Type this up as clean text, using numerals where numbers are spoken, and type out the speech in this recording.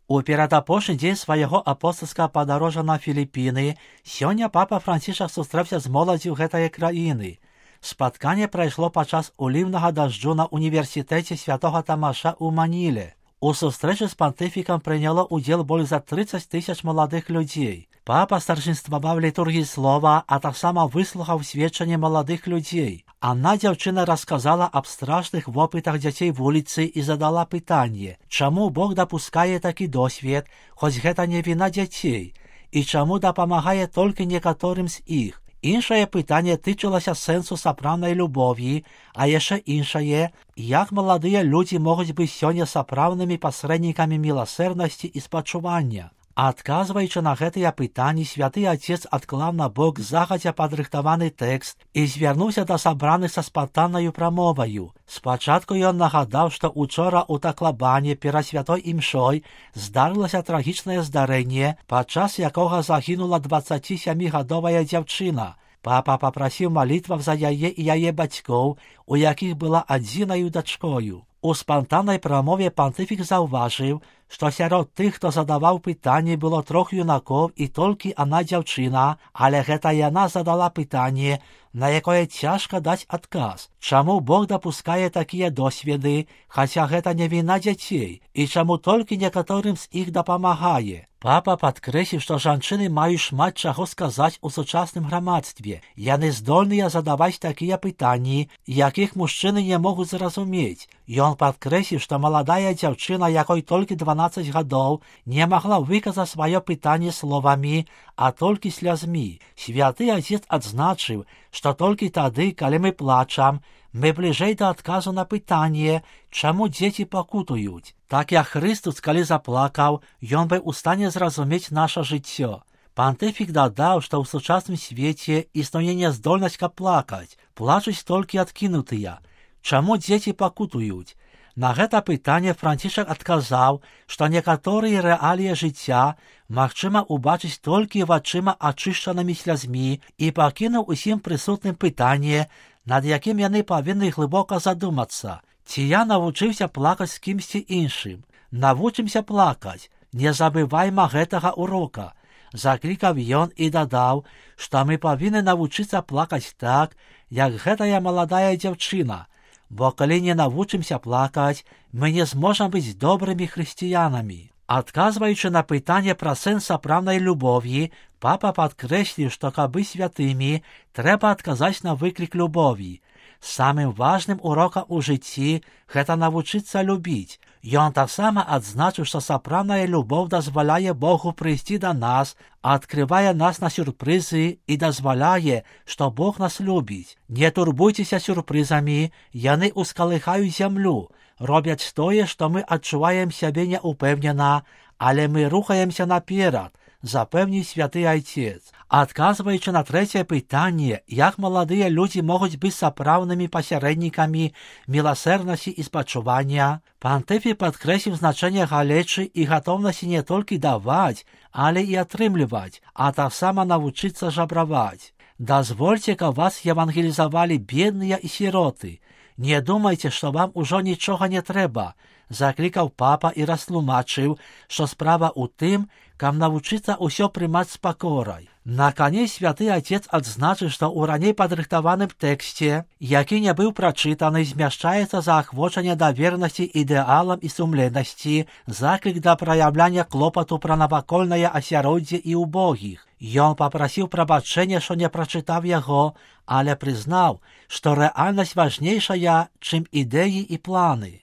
У перадапошні дзень свайго апостальскага падарожжа на Філіпіны сёння папа Францішак сустрэўся з моладдзю гэтай краіны. Спатканне прайшло падчас уліўнага дажджу на універсітэце святога Тамаша ў Маніле. У сустрэчы з пантыфікам прыняло ўдзел больш за 30 000 маладых людзей. Папа старшынстваваў літургіі слова, а таксама выслухаў сведчанне маладых людзей. Адна дзяўчына расказала аб страшных вопытах дзяцей вуліцы і задала пытанне, чаму Бог дапускае такі досвед, хоць гэта не віна дзяцей, і чаму дапамагае толькі некаторым з іх. Іншае пытанне тычылася сэнсу сапраўднай любові, а яшчэ іншае, як маладыя людзі могуць быць сёння сапраўднымі пасрэднікамі міласэрнасці і спачування. Адказваючы на гэтыя пытанні, святы Отец адклаў на бок загадзя падрыхтаваны тэкст і звярнуўся да сабраных са спантаннаю прамоваю. Спачатку ён нагадаў, што учора ў Таклабане перад святой імшой здарылася трагічнае здарэнне, падчас якога загінула 27-гадовая дзяўчына. Папа папрасіў малітваў за яе і яе бацькоў, у якіх была адзінаю дачкою. У спантаннай прамове пантыфік заўважыў, што сярод тых, хто задаваў пытанні, было 3 юнакоў і толькі адна дзяўчына, але гэта яна задала пытанне, на якое цяжка даць адказ. Чаму Бог дапускае такія досведы, хаця гэта не віна дзяцей, і чаму толькі некаторым з іх дапамагае? Папа падкрэсліў, што жанчыны маюць шмат чаго сказаць у сучасным грамадстве. Яны здольныя задаваць такія пытанні, якіх мужчыны не могуць зразумець. Ён падкрэсліў, што маладая дзяўчына, якой толькі 12 гадоў, не магла выказаць сваё пытанне словамі, а толькі слязьмі. Святы Отец адзначыў, што толькі тады, калі мы плачам, мы бліжэй да адказу на пытанне, чаму дзеці пакутуюць. Так як Хрыстус, калі заплакаў, ён быў у стане зразумець наша жыццё. Пантыфік дадаў, што ў сучасным свеце існуе няздольнасць плакаць, плачуць толькі адкінутыя. Чаму дзеці пакутуюць? На гэта пытанне Францішак адказаў, што некаторыя рэаліі жыцця магчыма ўбачыць толькі вачыма ачышчанымі слязьмі і пакінуў усім прысутным пытанне, над якім яны павінны глыбока задумацца. Ці я навучыўся плакаць з кімсьці іншым? Навучымся плакаць, не забывайма гэтага урока. Заклікаў ён і дадаў, што мы павінны навучыцца плакаць так, як гэтая маладая дзяўчына, бо калі не навучымся плакаць, мы не зможам быць добрымі хрысціянамі. Адказваючы на пытанне пра сэнс сапраўднай любові, папа падкрэсліў, што каб быць святымі, трэба адказаць на выклік любові. Самым важным урокам у жыцці гэта навучыцца любіць. Ён таксама адзначыў, што сапраўдная любоў дазваляе Богу прыйсці да нас, адкрывае нас на сюрпрызы і дазваляе, што Бог нас любіць. Не турбуйцеся сюрпрызамі, яны ускалыхаюць зямлю, робяць тое, што мы адчуваем сябе няўпэўнена, але мы рухаемся наперад, запэўніў святы Отец. Адказваючы на трэцяе пытанне, як маладыя людзі могуць быць сапраўднымі пасярэднікамі міласэрнасці і спачування, пантыфік падкрэсліў значэнне галечы і гатоўнасці не толькі даваць, але і атрымліваць, а таксама навучыцца жабраваць. Дазвольце, каб вас евангелізавалі бедныя і сіроты. Не думайце, што вам ужо нічога не трэба, заклікаў папа і растлумачыў, што справа ў тым, каб навучыцца ўсё прымаць з пакорай. Наканец святы Отец адзначыў, што ў раней падрыхтаваным тэксце, які не быў прачытаны, змяшчаецца заахвочанне да вернасці ідэалам і сумленнасці, заклік да праяўляння клопату пра навакольнае асяроддзе і убогіх. Ён папрасіў прабачэння, што не прачытаў яго, але прызнаў, што рэальнасць важнейшая, чым ідэі і планы.